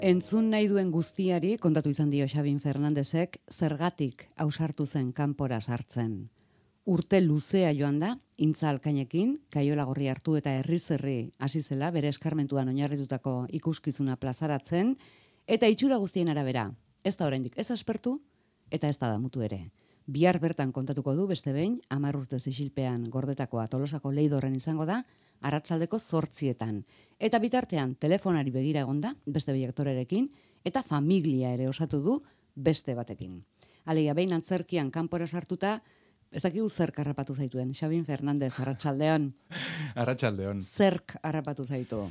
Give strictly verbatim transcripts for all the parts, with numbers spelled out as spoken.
Entzun nahi duen guztiari, kontatu izan dio Xabin Fernandezek, zergatik ausartu zen kanpora sartzen. Urte luzea joan da, intza alkainekin, kaiola gorri hartu eta herri-zerri hasi zela, bere eskarmentuan oinarritutako ikuskizuna plazaratzen, eta itxura guztien arabera, ez da oraindik ez aspertu, eta ez da damutu ere. Bihar bertan kontatuko du beste behin, hamar urtez isilpean gordetakoa Tolosako Leidorren izango da, arratsaldeko zortzietan. Eta bitartean, telefonari begira egonda, beste biaktorerekin, eta familia ere osatu du beste batekin. Alegia, behin antzerkian kanpora sartuta, ez dakigu zerk harrapatu zaituen. Xabin Fernandez, arratsaldeon. Arratsaldeon. Zerk harrapatu zaitu?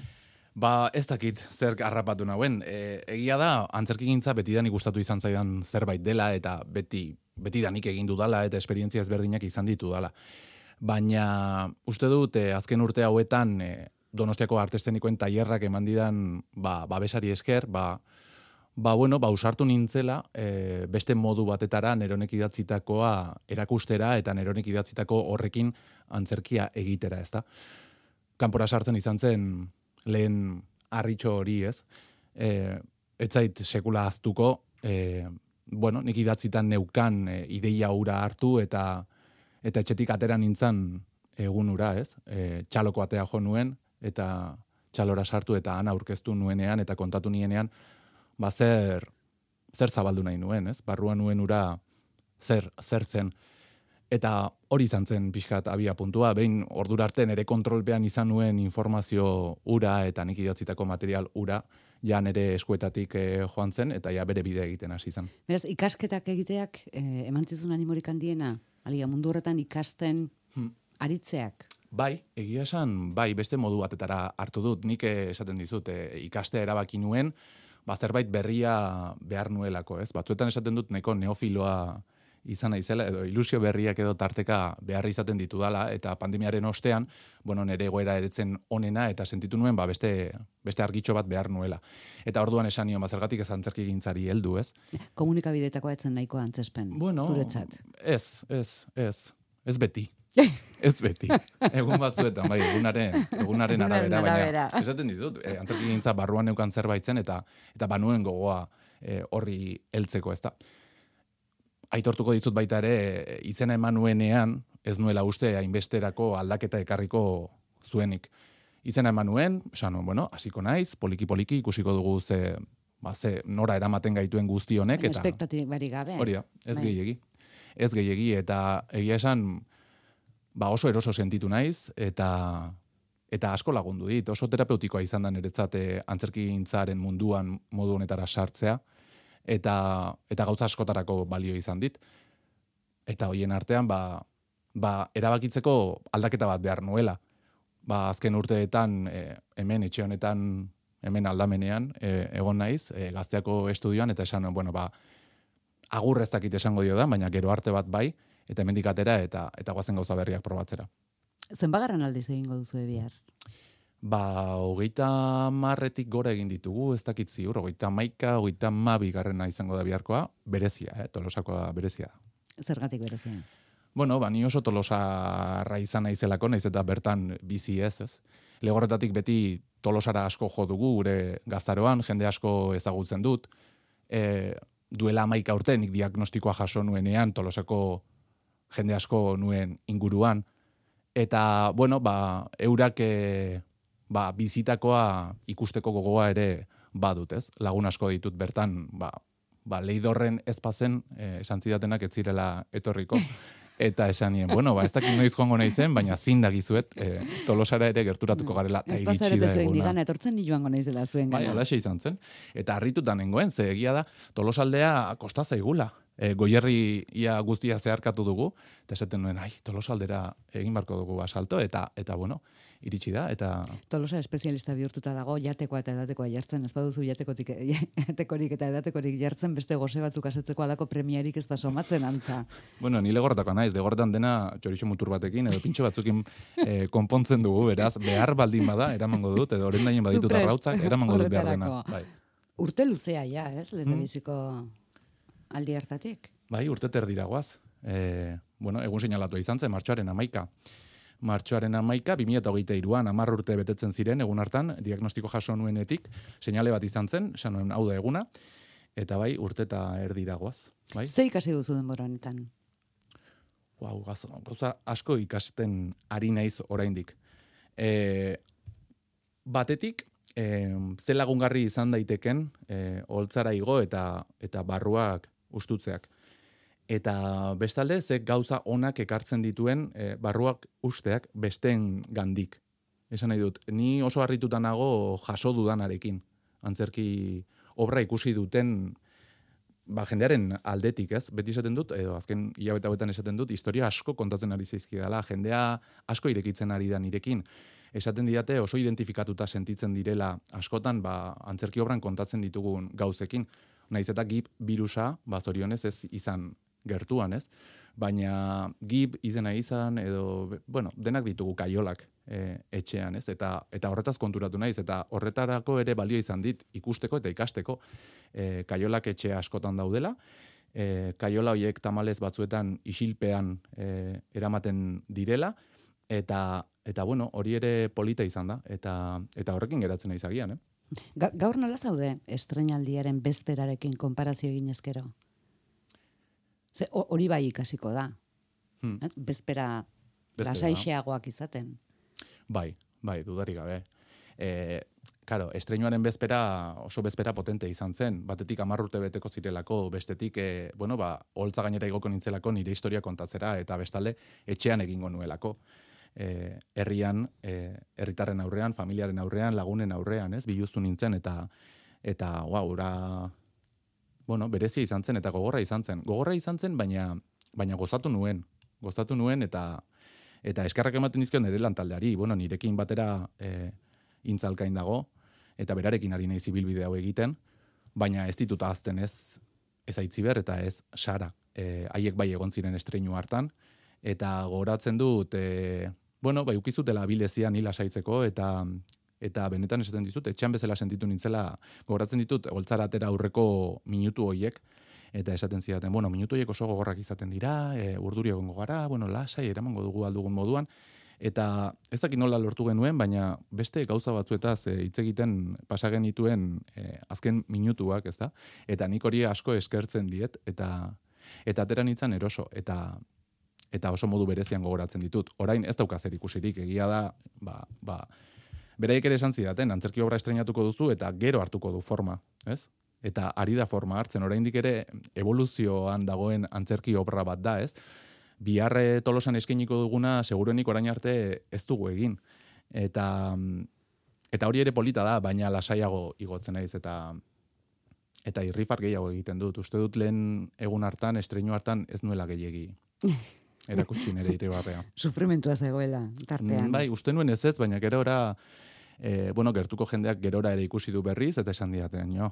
Ba, ez dakit zerk harrapatu nauen. E, egia da, antzerkigintza betidanik gustatu izan zaidan zerbait dela, eta beti, betidanik egin dudala, eta esperientzia ezberdinak izan ditu dala. Baina uste dut, eh, azken urte hauetan eh, Donostiako artestenikoen tailerrak eman didan ba, babesari esker, ba, ba, bueno, ba, usartu nintzela eh, beste modu batetara neronek idatzitakoa erakustera eta neronek idatzitako horrekin antzerkia egitera, ezta. Kanpora sartzen izan zen lehen harritxo hori, ez? Eh, ez zait sekula ahaztuko, eh, bueno, nik idatzitan neukan eh, ideia hura hartu eta eta etxetik atera nintzen egunura, ez? E, txaloko atea jo nuen, eta txalora sartu eta ana aurkeztu nuenean, eta kontatu nienean, ba zer, zer zabaldu nahi nuen, ez? Barruan nuen ura zer, zer zen. Eta hori izan zen pixkat abia puntua, behin ordura arte nere kontrolpean izan nuen informazio ura eta nik idatzitako material ura, ja nere eskuetatik eh, joan zen, eta ja bere bidea egiten hasi zen. Beraz, ikasketak egiteak eh, emantzizun animorik handiena? Alia, mundu horretan ikasten hmm. aritzeak? Bai, egia esan, bai, beste modu batetara hartu dut. Nik esaten dizut, e, ikastea erabaki nuen, ba, zerbait berria behar nuelako, ez? Batzuetan esaten dut neko neofiloa izan naizela, edo ilusio berriak edo tarteka behar izaten ditudala, eta pandemiaren ostean, bueno, nere egoera eretzen onena, eta sentitu nuen, ba, beste, beste argitxo bat behar nuela. Eta orduan esan nion, ba, zergatik ez antzerkigintzari heldu, ez? Komunikabidetako etzen nahiko antzespen, bueno, zuretzat. Ez, ez, ez, ez beti. Ez beti. Egun batzuetan, bai, egunaren, egunaren arabera, baina esaten ditut, e, antzerkigintza barruan neukan zerbait zen, eta, eta banuen gogoa e, horri heltzeko, ez da. Aitortuko dizut baita ere, izena eman nuenean, ez nuela uste hainbesterako aldaketa ekarriko zuenik. Izena eman nuen, esan, bueno, hasiko naiz, poliki-poliki ikusiko dugu ze, ba, ze nora eramaten gaituen guzti honek. Eta espektatibari gabe. Hori da, ez bai. gehiegi. Ez gehiegi, eta egia esan, ba, oso eroso sentitu naiz, eta eta asko lagundu dit. Oso terapeutikoa izan da niretzat antzerkigintzaren munduan modu honetara sartzea, eta eta gauza askotarako balio izan dit. Eta hoien artean, ba, ba, erabakitzeko aldaketa bat behar nuela. Ba, azken urteetan, e, hemen, etxe honetan, hemen aldamenean, e, egon naiz, e, Gazteako estudioan, eta esan, bueno, ba, agur ez dakit esango dio da, baina gero arte bat bai, eta hemendik atera, eta, eta goazen gauza berriak probatzera. Zenbagarren aldiz egingo duzu bihar? Ba, hogeita marretik gora egin ditugu, ez dakit ziur, hogeita maika, hogeita mabi garrena izango da biharkoa, berezia, eh? Tolosakoa berezia. Zergatik berezia? Bueno, ba, ni oso Tolosarra izan naizelako, naiz eta bertan bizi ez, ez. Legorretatik beti Tolosara asko jo dugu, gure gaztaroan, jende asko ezagutzen dut. E, duela hamaika urte, nik diagnostikoa jaso nuenean, Tolosako jende asko nuen inguruan. Eta, bueno, ba, eurak e, ba, bizitakoa ikusteko gogoa ere badut, ez? Lagun asko ditut bertan, ba, ba, Leidorren ez pazen, e, esan zidatenak ez zirela etorriko. Eta esan nien, bueno, ba, ez dakit noiz joango naizen, baina zindagizuet, e, Tolosara ere gerturatuko garela, eta iritsi da eguna. Ez zuen digana, etortzen ni joango naizela zuen gana. Bai, alaxe izan zen. Eta harritutan nengoen, ze egia da, Tolosaldea kosta zaigula. E, goierri ia guztia zeharkatu dugu, eta esaten nuen, ai, Tolosaldera egin barko dugu asalto, eta, eta bueno, iritsi da, eta... Tolosa espezialista bihurtuta dago, jatekoa eta edatekoa jartzen, ez baduzu jatekotik, jatekorik eta edatekorik jartzen, beste goze batzuk asetzeko alako premiarik ez da somatzen antza. Bueno, ni legorretako naiz, legorretan dena txorixo mutur batekin, edo pintxo batzukin eh, konpontzen dugu, beraz, behar baldin bada, eramango dut, edo orendainen baditut arrautzak, eramango dut behar dena. Bai. Urte luzea, ja, ez, lehendabiziko aldi hartatik? Bai, urte terdira guaz. E, bueno, egun seinalatua izan zen, martxoaren hamaika. martxoaren hamaika, bi mila hogeita hiruan, hamar urte betetzen ziren, egun hartan, diagnostiko jaso nuenetik, seinale bat izan zen, esan nuen hau da eguna, eta bai, urte eta erdira goaz. Bai? Ze ikasi duzu denbora honetan? Wow, gauza asko ikasten ari naiz oraindik. E, batetik, e, ze lagungarri izan daiteken, e, holtzara igo eta, eta barruak ustutzeak. Eta bestalde, ze gauza onak ekartzen dituen e, barruak usteak besteen gandik. Esan nahi dut, ni oso harrituta nago jaso dudanarekin. Antzerki obra ikusi duten ba, jendearen aldetik, ez? Beti esaten dut, edo azken hilabete hauetan esaten dut, historia asko kontatzen ari zaizkidala, jendea asko irekitzen ari da nirekin. Esaten didate oso identifikatuta sentitzen direla askotan, ba, antzerki obran kontatzen ditugun gauzekin. Naiz eta gib virusa, ba, zorionez ez izan gertuan, ez? Baina gib izena izan, edo, bueno, denak ditugu kaiolak e, etxean, ez? Eta, eta horretaz konturatu naiz, eta horretarako ere balio izan dit ikusteko eta ikasteko e, kaiolak etxe askotan daudela, e, kaiola horiek tamalez batzuetan isilpean e, eramaten direla, eta, eta bueno, hori ere polita izan da, eta, eta horrekin geratzen naiz agian, eh? Ga, gaur nola zaude estreinaldiaren bezperarekin konparazio egin ezkero? Ze, hori bai ikasiko da. Hmm. Bezpera lasaixeagoak izaten. Bai, bai, dudarik gabe. E, karo, estreinuaren bezpera oso bezpera potente izan zen. Batetik hamar urte beteko zirelako, bestetik, e, bueno, ba, holtza gainera igoko nintzelako nire historia kontatzera, eta bestalde etxean egingo nuelako. E, herrian, e, herritarren aurrean, familiaren aurrean, lagunen aurrean, ez, biluztu nintzen, eta, eta, wow, ura... Bueno, berezia izan zen eta gogorra izan zen. Gogorra izan zen, baina, baina gozatu nuen. Gozatu nuen eta eta eskerrak ematen dizkion nire lantaldeari. Bueno, nirekin batera e, intzalkain dago eta berarekin ari naiz ibilbide hau egiten, baina ez ditut ahazten ez ez Aitziber eta ez Sara. E, haiek bai egon ziren estreinu hartan eta gogoratzen dut e, bueno, bai ukizutela abilezia ni lasaitzeko eta Eta benetan esaten dizut, etxean bezala sentitu nintzela, gogoratzen ditut, holtzara atera aurreko minutu hoiek, eta esaten zidaten, bueno, minutu hoiek oso gogorrak izaten dira, e, urduri egongo gara, bueno, lasai, eramango dugu aldugun moduan, eta ez dakit nola lortu genuen, baina beste gauza batzuetaz e, hitz egiten pasagen dituen e, azken minutuak, ez da? Eta nik hori asko eskertzen diet, eta eta atera nintzen eroso, eta eta oso modu berezian gogoratzen ditut. Orain ez dauka zer ikusirik, egia da, ba, ba, beraiek ere esan zidaten, antzerki obra estreinatuko duzu eta gero hartuko du forma, ez? Eta ari da forma hartzen, oraindik ere evoluzioan dagoen antzerki obra bat da, ez? Biharre Tolosan eskainiko duguna seguruenik orain arte ez dugu egin. Eta eta hori ere polita da, baina lasaiago igotzen naiz eta eta irrifar gehiago egiten dut. Uste dut lehen egun hartan, estreinu hartan ez nuela gehiegi. Erakutsi nire irribarrea. Sufrimentua zegoela, tartean. Bai, uste nuen ez ez, baina gerora E, bueno, gertuko jendeak gerora ere ikusi du berriz, eta esan diaten, jo,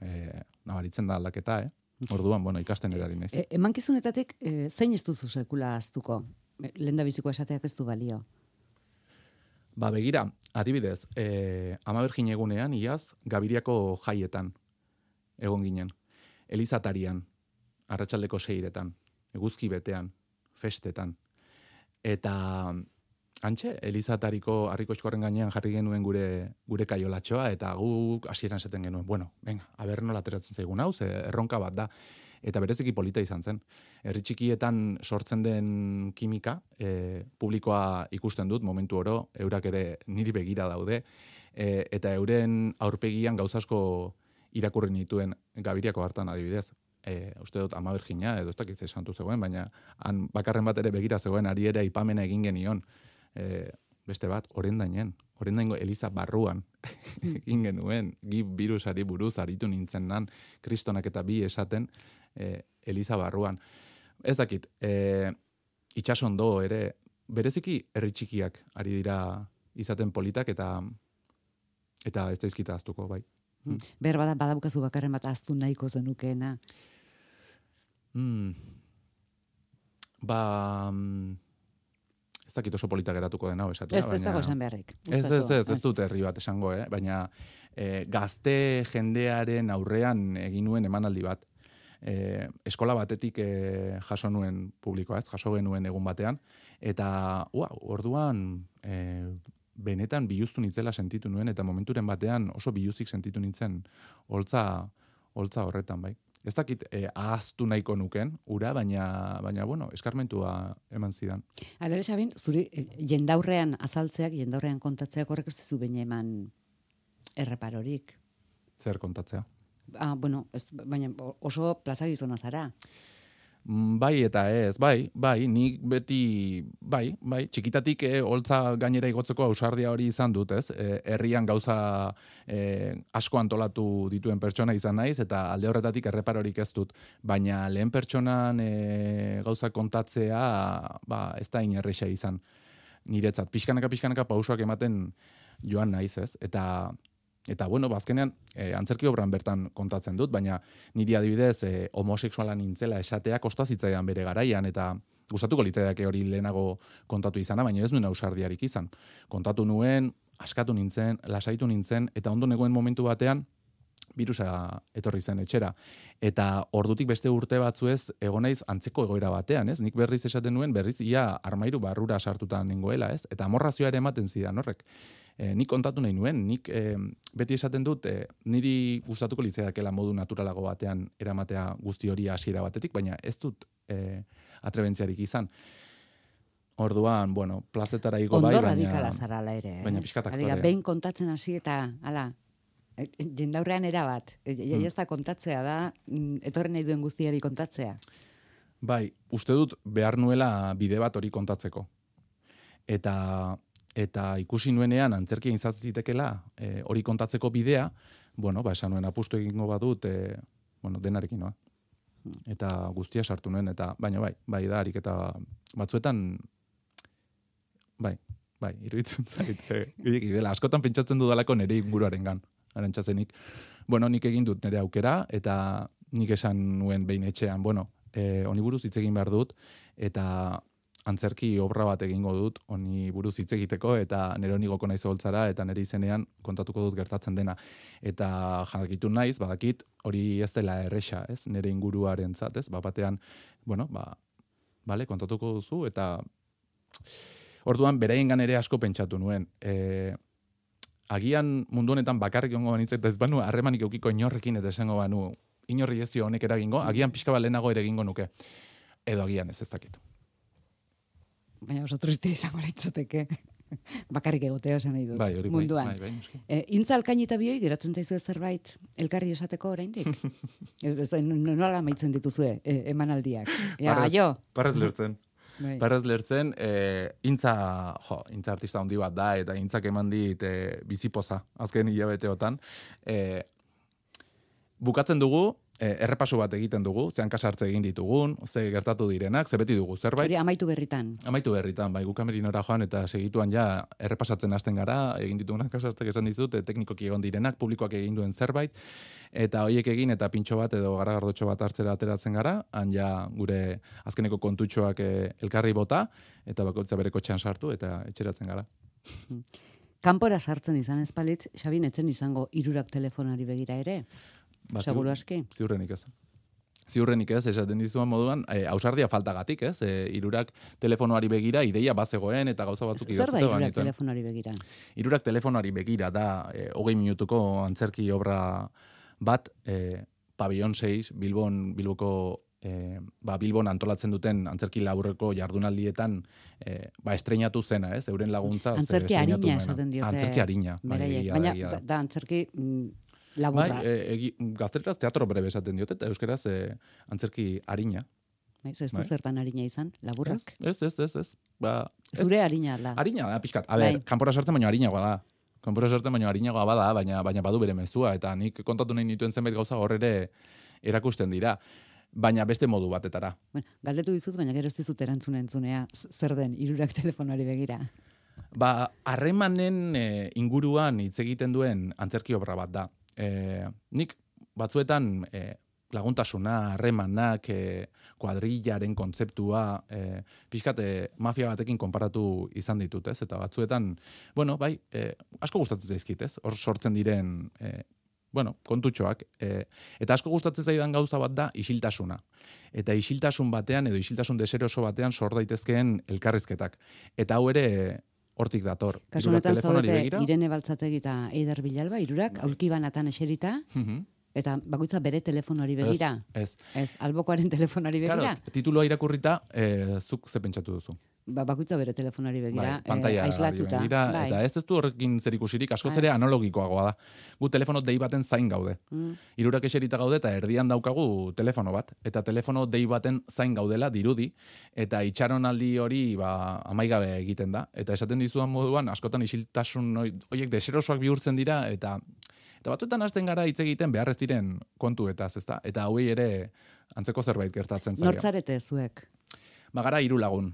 e, nabaritzen da aldaketa, eh? Orduan, bueno, ikasten erari naiz. E, emankizunetatik, e, zein ez duzu sekula aztuko? Lehen da biziko esateak ez du balio. Ba, begira, adibidez, e, Ama Birjin egunean, iaz, Gabiriako jaietan egon ginen. Elizatarian, arratsaldeko seiretan, eguzki betean, festetan. Eta... Antxe, Elizatariko harrikoxkorren gainean jarri genuen gure gure kaiolatxoa, eta guk hasieran esaten genuen, bueno, venga, aber nola ateratzen zaigun hau, ze erronka bat da. Eta bereziki polita izan zen. Herri txikietan sortzen den kimika, e, publikoa ikusten dut, momentu oro, eurak ere niri begira daude, e, eta euren aurpegian gauzasko irakurri nituen Gabiriako hartan adibidez. E, uste dut Ama Birjina, edo ez dakit santu zegoen, baina han bakarren bat ere begira zegoen, ari ere aipamena egin genion. E, beste bat, orendainen, orendaingo Eliza barruan egin genuen, gib virusari buruz aritu nintzen nan, kristonak eta bi esaten e, Eliza barruan. Ez dakit, e, itxasondo ere, bereziki herri txikiak ari dira izaten politak eta eta ez daizkita aztuko, bai. Hmm. Ber bada, badabukazu bakarren bat aztu nahiko zenukeena. Hmm. Ba... Ez dakit oso polita geratuko dena, esatea. Ez, ez dago esan beharrik. Ez, ez, ez, ez dut herri bat esango, eh? Baina e, gazte jendearen aurrean egin nuen emanaldi bat. e, eskola batetik e, jaso nuen publikoa, ez, jaso genuen egun batean, eta ua, orduan e, benetan biluztu nitzela sentitu nuen, eta momenturen batean oso biluzik sentitu nintzen holtza, holtza horretan, bai. Ez dakit eh, ahaztu nahiko nuken, ura, baina, baina bueno, eskarmentua eman zidan. Alare, Xabin, zuri eh, jendaurrean azaltzeak, jendaurrean kontatzeak horrek ez dizu baina eman erreparorik. Zer kontatzea? Ah, bueno, ez, baina oso plaza gizona zara. Bai eta ez, bai, bai, nik beti, bai, bai, txikitatik eh, holtza gainera igotzeko ausardia hori izan dut, ez? Eh, herrian gauza eh, asko antolatu dituen pertsona izan naiz, eta alde horretatik erreparorik ez dut, baina lehen pertsonan eh, gauza kontatzea, ba, ez da inerreixa izan niretzat. Pixkanaka, pixkanaka pausoak ematen joan naiz, ez? Eta Eta, bueno, bazkenean, eh, antzerki obran bertan kontatzen dut, baina niri adibidez eh, homosexuala nintzela esatea kosta zitzaidan bere garaian, eta gustatuko litzaidake hori lehenago kontatu izana, baina ez nuen ausardiarik izan. Kontatu nuen, askatu nintzen, lasaitu nintzen, eta ondo negoen momentu batean, birusa etorri zen etxera. Eta ordutik beste urte batzuez egon naiz antzeko egoera batean, ez? Nik berriz esaten nuen, berriz ia armairu barrura sartuta nengoela, ez? Eta amorrazioa ere ematen zidan horrek. E, nik kontatu nahi nuen, nik e, beti esaten dut, e, niri gustatuko litzaidakela modu naturalago batean eramatea guzti hori hasiera batetik, baina ez dut e, atrebentziarik izan. Orduan, bueno, plazetara igo Ondo bai, baina... Ondo radikala zarala ere. Eh? Baina pixkat aktorea. Aliga, behin kontatzen hasi eta, ala, jendaurrean erabat. Ja ez da kontatzea da, etorren nahi duen guztiari kontatzea. Bai, uste dut behar nuela bide bat hori kontatzeko. Eta... Eta ikusi nuenean antzerkia izatzitekela e, hori kontatzeko bidea, bueno, ba, esan nuen apustu egingo badut, e, bueno, denarekin noa. Eta guztia sartu nuen, eta baina bai, bai da, harik eta batzuetan, bai, bai, iruditzen zait, e, dela, askotan pentsatzen dudalako nire inguruarengan, arantzazenik. Bueno, nik egin dut nire aukera, eta nik esan nuen behin etxean, bueno, e, honi buruz hitz egin behar dut, eta antzerki obra bat egingo dut, honi buruz hitz egiteko, eta nire honi goko naiz holtzara, eta nire izenean kontatuko dut gertatzen dena. Eta jakitu naiz, badakit, hori ez dela erresa, ez? Nire inguruaren zat, ez? Ba, batean, bueno, ba, bale, kontatuko duzu, eta orduan beraiengan ere asko pentsatu nuen. E, agian mundu honetan bakarrik egongo banitzek, ez banu harremanik eukiko inorrekin, eta esango banu, inorri ez dio honek eragingo, agian pixka bat lehenago ere egingo nuke. Edo agian ez ez dakit. Baina oso tristea izango litzateke. Bakarrik egotea esan nahi dut. Bai, hori munduan. Bai, bai, e, intza alkain eta bioi, geratzen zaizu zerbait elkarri esateko oraindik? Nola amaitzen dituzue e, emanaldiak? Ja, parrez, jo. Parrez lertzen. Bai. Parrez lertzen, e, intza, jo, intza artista handi bat da, eta intzak eman dit e, bizipoza, azken hilabeteotan. E, bukatzen dugu, E, errepasu bat egiten dugu, zean kasartze egin ditugun, ze gertatu direnak, ze beti dugu, zerbait? Hori amaitu berritan. Amaitu berritan, bai, gukamerinora joan eta segituan ja errepasatzen hasten gara, egin ditugunak kasartzek esan dizut, teknikoki egon direnak, publikoak egin duen zerbait, eta hoiek egin eta pintxo bat edo garagardotxo bat hartzera ateratzen gara, han ja gure azkeneko kontutxoak e, elkarri bota, eta bakoitza bere kotxean sartu, eta etxeratzen gara. Kanpora sartzen izan ezpalitz, Xabin etzen izango hirurak telefonari begira ere? Ba, seguru aski. Ziurrenik ez. Ziurrenik ez, esaten dizuan moduan, e, ausardia faltagatik, ez? E, irurak telefonoari begira, ideia bazegoen eta gauza batzuk idatzeko. Zer da irurak telefonoari begira? Irurak telefonoari begira da, e, hogei minutuko antzerki obra bat, e, Pabellon seis, Bilbon, Bilboko, e, ba, Bilbon antolatzen duten antzerki laburreko jardunaldietan, e, ba, estreinatu zena, ez? Euren laguntza. Antzerki harina esaten diote. Antzerki harina. Baina, da, da antzerki... Laburra. Bai, e, gazteleraz teatro breve esaten diote, eta euskeraz e, antzerki harina. Ez du bai. Zertan harina izan, laburrak? Ez, ez, ez, ez. Ba, zure harina da. Harina da, pixkat. A ber, bai. Kanpora sartzen baino harinagoa da. Kanpora sartzen baino harinagoa bada, baina, baina badu bere mezua, eta nik kontatu nahi nituen zenbait gauza horre erakusten dira. Baina beste modu batetara. Bueno, galdetu dizut, baina gero ez dizut erantzuna entzunea, zer den hirurak telefonoari begira. Ba, harremanen e, inguruan hitz egiten duen antzerki obra bat da. E, nik batzuetan e, laguntasuna, harremanak, e, kuadrillaren kontzeptua, e, pixkat e, mafia batekin konparatu izan ditut, ez? Eta batzuetan, bueno, bai, e, asko gustatzen zaizkit, ez? Hor sortzen diren e, bueno, kontutxoak. E, eta asko gustatzen zaidan gauza bat da isiltasuna. Eta isiltasun batean edo isiltasun deseroso batean sor daitezkeen elkarrizketak. Eta hau ere hortik dator. Kasu honetan zaudete Irene Baltzategi eta Eider Bilalba, hirurak, bai. Aulki banatan eserita, mm-hmm. Eta bakoitza bere telefonari begira. Ez, ez. Ez, albokoaren telefonari begira. Claro, tituloa irakurrita, eh, zuk ze pentsatu duzu. Ba, bakoitza bere telefonari begira, bai, pantalla eh, aislatuta. Begira, bai. Eta ez ez du horrekin zerikusirik, askoz ere analogikoagoa da. Gu telefono dei baten zain gaude. Mm. Hirurak eserita gaude eta erdian daukagu telefono bat. Eta telefono dei baten zain gaudela dirudi. Eta itxaronaldi hori ba, amaigabe egiten da. Eta esaten dizudan moduan, askotan isiltasun horiek deserosoak bihurtzen dira, eta Eta batzuetan hasten gara hitz egiten behar ez diren kontuetaz, ezta? Eta hauei ere antzeko zerbait gertatzen zaio. Nortzarete zuek? Ba gara hiru lagun.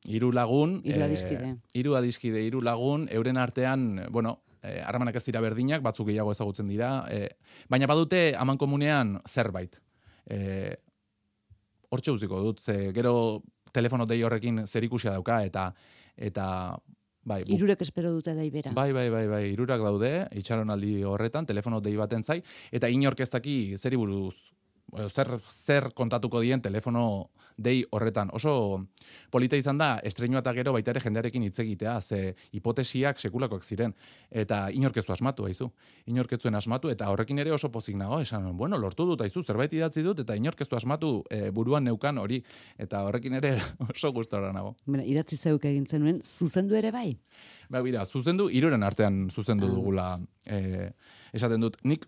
Hiru lagun, hiru adiskide. Hiru eh, adiskide, hiru lagun, euren artean, bueno, eh, harremanak ez dira berdinak, batzuk gehiago ezagutzen dira, eh, baina badute amankomunean zerbait. Eh, Hortxe uziko dut, ze gero telefono dei horrekin zerikusia dauka, eta eta bai, irurek espero dute dai bera. Bai, bai, bai, bai, irurak daude, itxaronaldi horretan, telefono dei baten zai, eta inork ez daki zeri buruz, zer, zer kontatuko dien telefono dei horretan. Oso polita izan da, estreiñoa eta gero baita ere jendearekin hitz egitea, ze hipotesiak sekulakoak ziren, eta inork ez du asmatu, haizu. Inork ez zuen asmatu, eta horrekin ere oso pozik nago, esan, bueno, lortu dut, haizu, zerbait idatzi dut, eta inork ez du asmatu e, buruan neukan hori, eta horrekin ere oso gustora nago. Bena, idatzi zeuk egin zenuen, zuzendu ere bai? Ba, bira, zuzendu, hiruren artean zuzendu ah. dugula, e, esaten dut, nik,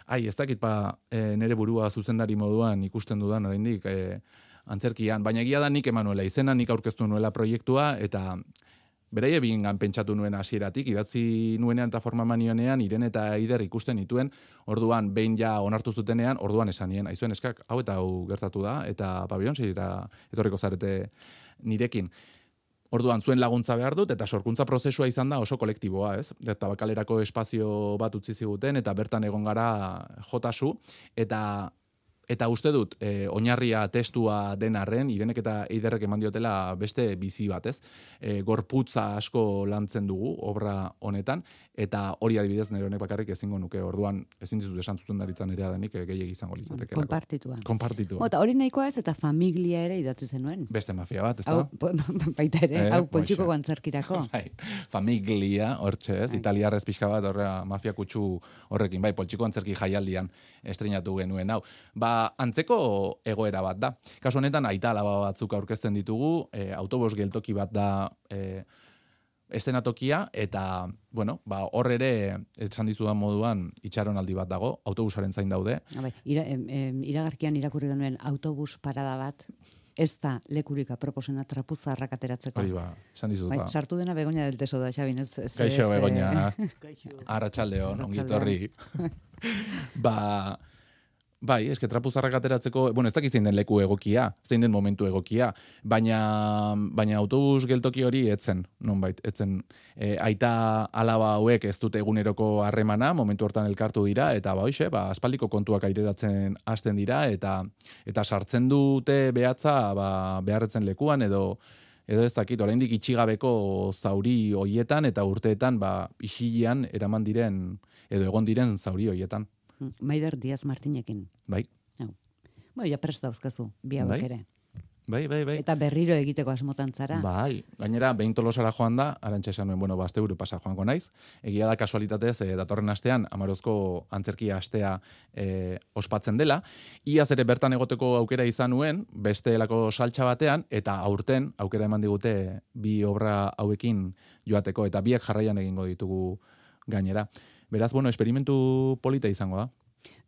ai, ez dakit pa e, nere burua zuzendari moduan ikusten dudan oraindik e, antzerkian, baina egia da nik emanuela izena, nik aurkeztu nuela proiektua, eta beraie bigingan pentsatu nuen hasieratik, idatzi nuenean eta forma manionean, Irene eta Eider ikusten nituen, orduan behin ja onartu zutenean, orduan esanien, aizuen eskak, hau eta hau gertatu da, eta pabion zira etorriko zarete nirekin. Orduan zuen laguntza behar dut, eta sorkuntza prozesua izan da oso kolektiboa, ez? Eta bakalerako espazio bat utzi ziguten, eta bertan egon gara jotasu, eta eta uste dut, e, oinarria testua den arren, Irenek eta Eiderrek eman diotela beste bizi bat, ez? E, gorputza asko lantzen dugu, obra honetan, eta hori adibidez nire honek bakarrik ezingo nuke, orduan ezin dizut esan zuzendaritzan ere denik gehiegi izango litzatekelako. Konpartitua. Konpartitua. Eta hori nahikoa ez, eta familia ere idatzi zenuen. Beste mafia bat, ez da? Hau, baita ere, hau Poltsiko antzerkirako. Bai, familia, hortxe ez, italiarrez pixka bat horra mafia kutsu horrekin, bai, Poltsiko antzerki jaialdian estreinatu genuen, hau. Ba, antzeko egoera bat da. Kasu honetan, aita alaba batzuk aurkezten ditugu, e, autobus geltoki bat da e, eszenatokia, eta, bueno, ba, hor ere, esan dizudan moduan, itxaronaldi bat dago, autobusaren zain daude. Bai, ira, em, em, iragarkian irakurri genuen autobus parada bat, ez da lekurika proposena trapuzarrak ateratzeko. Hori ba, esan dizut bai, ba. Sartu dena Begoña del Teso da, Xabin, ez... ez Kaixo, ez, Begoña. Arratsaldeon, ongitorri. Ba... Bai, eske trapuzarrak ateratzeko, bueno, ez dakit zein den leku egokia, zein den momentu egokia, baina, baina autobus geltoki hori etzen, nonbait, etzen e, aita alaba hauek ez dute eguneroko harremana, momentu hortan elkartu dira, eta ba, hoxe, ba, aspaldiko kontuak aireratzen hasten dira, eta eta sartzen dute behatza ba, beharretzen lekuan, edo edo ez dakit, oraindik itxigabeko zauri hoietan, eta urteetan ba, isilean eraman diren, edo egon diren zauri hoietan. Maider Diaz Martinekin. Bai. Hau. Bueno, ja prest dauzkazu, bi hauek ere. Bai, bai, bai. Eta berriro egiteko asmotan zara. Bai, gainera, behin Tolosara joan da, arantxa esan nuen, bueno, bazte buru pasa joango naiz. Egia da kasualitatez, e, datorren astean, Amarozko antzerkia astea e, ospatzen dela. Iaz ere bertan egoteko aukera izan nuen, beste elako saltxa batean, eta aurten, aukera eman digute bi obra hauekin joateko, eta biek jarraian egingo ditugu gainera. Beraz, bueno, esperimentu polita izango da.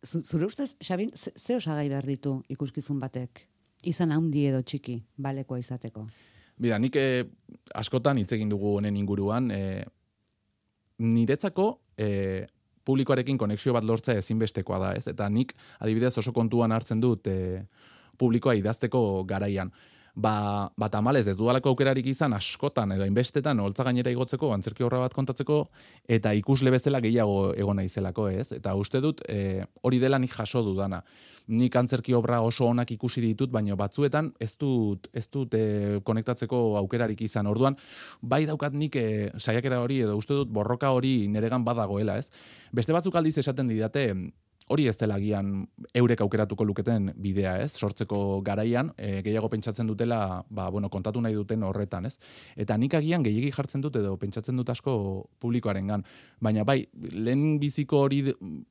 Zure ustez, Xabin, ze, ze osagai behar ditu ikuskizun batek? Izan handi edo txiki, balekoa izateko? Bida, nik eh, askotan hitz egin dugu honen inguruan, eh, niretzako eh, publikoarekin konexio bat lortzea ezinbestekoa da, ez? Eta nik, adibidez, oso kontuan hartzen dut eh, publikoa idazteko garaian. ba, ba tamalez ez dudalako aukerarik izan askotan edo inbestetan holtza gainera igotzeko, antzerki obra bat kontatzeko, eta ikusle bezala gehiago egon naizelako, ez? Eta uste dut, e, hori dela nik jaso dudana. Nik antzerki obra oso onak ikusi ditut, baina batzuetan ez dut, ez dut e, konektatzeko aukerarik izan. Orduan, bai daukat nik e, saiakera hori, edo uste dut borroka hori neregan badagoela, ez? Beste batzuk aldiz esaten didate, hori ez dela agian eurek aukeratuko luketen bidea, ez? Sortzeko garaian, e, gehiago pentsatzen dutela, ba, bueno, kontatu nahi duten horretan, ez? Eta nik agian gehiegi jartzen dut edo pentsatzen dut asko publikoarengan. Baina bai, lehen biziko hori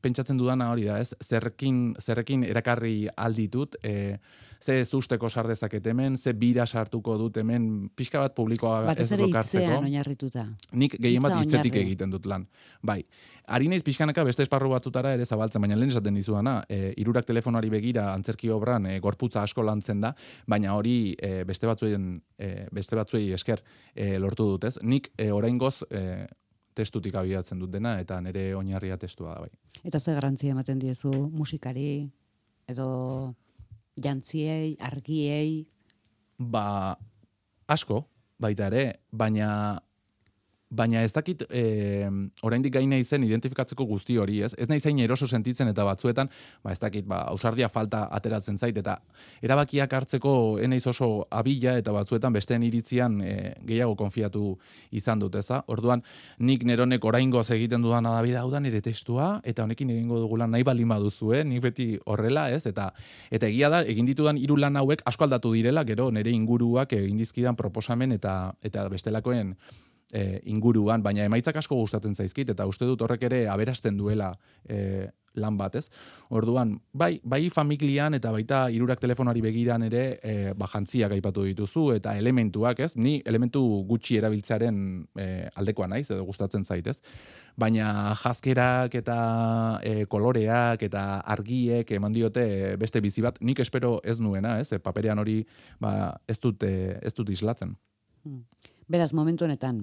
pentsatzen dudana hori da, ez? Zerrekin, zerrekin erakarri alditut, e, ze zusteko sar dezaket hemen, ze bira sartuko dut hemen, pixka bat publikoa ez lokartzeko. Batez ere hitzean oinarrituta. Nik gehien bat Hitza hitzetik oinarri. egiten dut lan. Bai, ari naiz pixkanaka beste esparru batzutara ere zabaltzen, baina lehen esaten dizudana, e, hirurak telefonari begira antzerki obran e, gorputza asko lantzen da, baina hori e, beste batzuen e, beste batzuei esker e, lortu dut, ez? Nik e, oraingoz e, testutik abiatzen dut dena eta nire oinarria testua da bai. Eta ze garrantzia ematen diezu musikari edo jantziei, argiei? Ba, asko, baita ere, baina baina ez dakit e, oraindik gain naizen identifikatzeko guzti hori, ez? Ez naiz hain eroso sentitzen eta batzuetan, ba ez dakit, ba ausardia falta ateratzen zait eta erabakiak hartzeko ez naiz oso abila eta batzuetan besteen iritzian e, gehiago konfiatu izan dut, eza? Orduan nik neronek oraingoz egiten dudana da bida, hau da nire testua eta honekin egingo dugula nahi baldin baduzue, nik beti horrela, ez? Eta eta egia da egin ditudan hiru lan hauek asko aldatu direla, gero nire inguruak egin dizkidan proposamen eta eta bestelakoen E, inguruan, baina emaitzak asko gustatzen zaizkit, eta uste dut horrek ere aberasten duela e, lan bat, ez? Orduan, bai, bai familian eta baita hirurak telefonari begiran ere e, ba, jantziak aipatu dituzu, eta elementuak, ez? Ni elementu gutxi erabiltzearen e, aldekoa naiz, edo gustatzen zaitez. Baina jazkerak eta e, koloreak eta argiek eman diote beste bizi bat, nik espero ez nuena, ez? E, paperean hori ba, ez dut, e, ez dut islatzen. Hmm. Beraz, momentu honetan,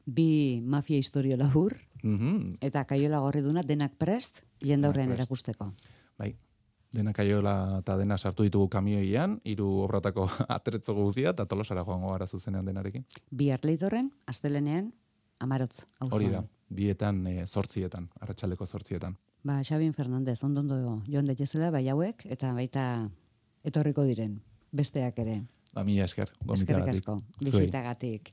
bi mafia historio labur, Mm-hmm. eta Kaiola Gorriduna denak prest, jendaurrean Denak prest. erakusteko. Bai, dena Kaiola eta dena sartu ditugu kamioian, hiru obratako atretzo guzia, eta Tolosara joango gara zuzenean denarekin. Bi Arleitorren, astelenean, Amarotz. Auzoan. Hori da, bietan, e, zortzietan, arratsaldeko zortzietan. Ba, Xabin Fernandez, ondondo joan daitezela, bai hauek, eta baita etorriko diren, besteak ere. Ba, mila esker, Eskerrik gomitagatik. asko, Zuei. bisitagatik.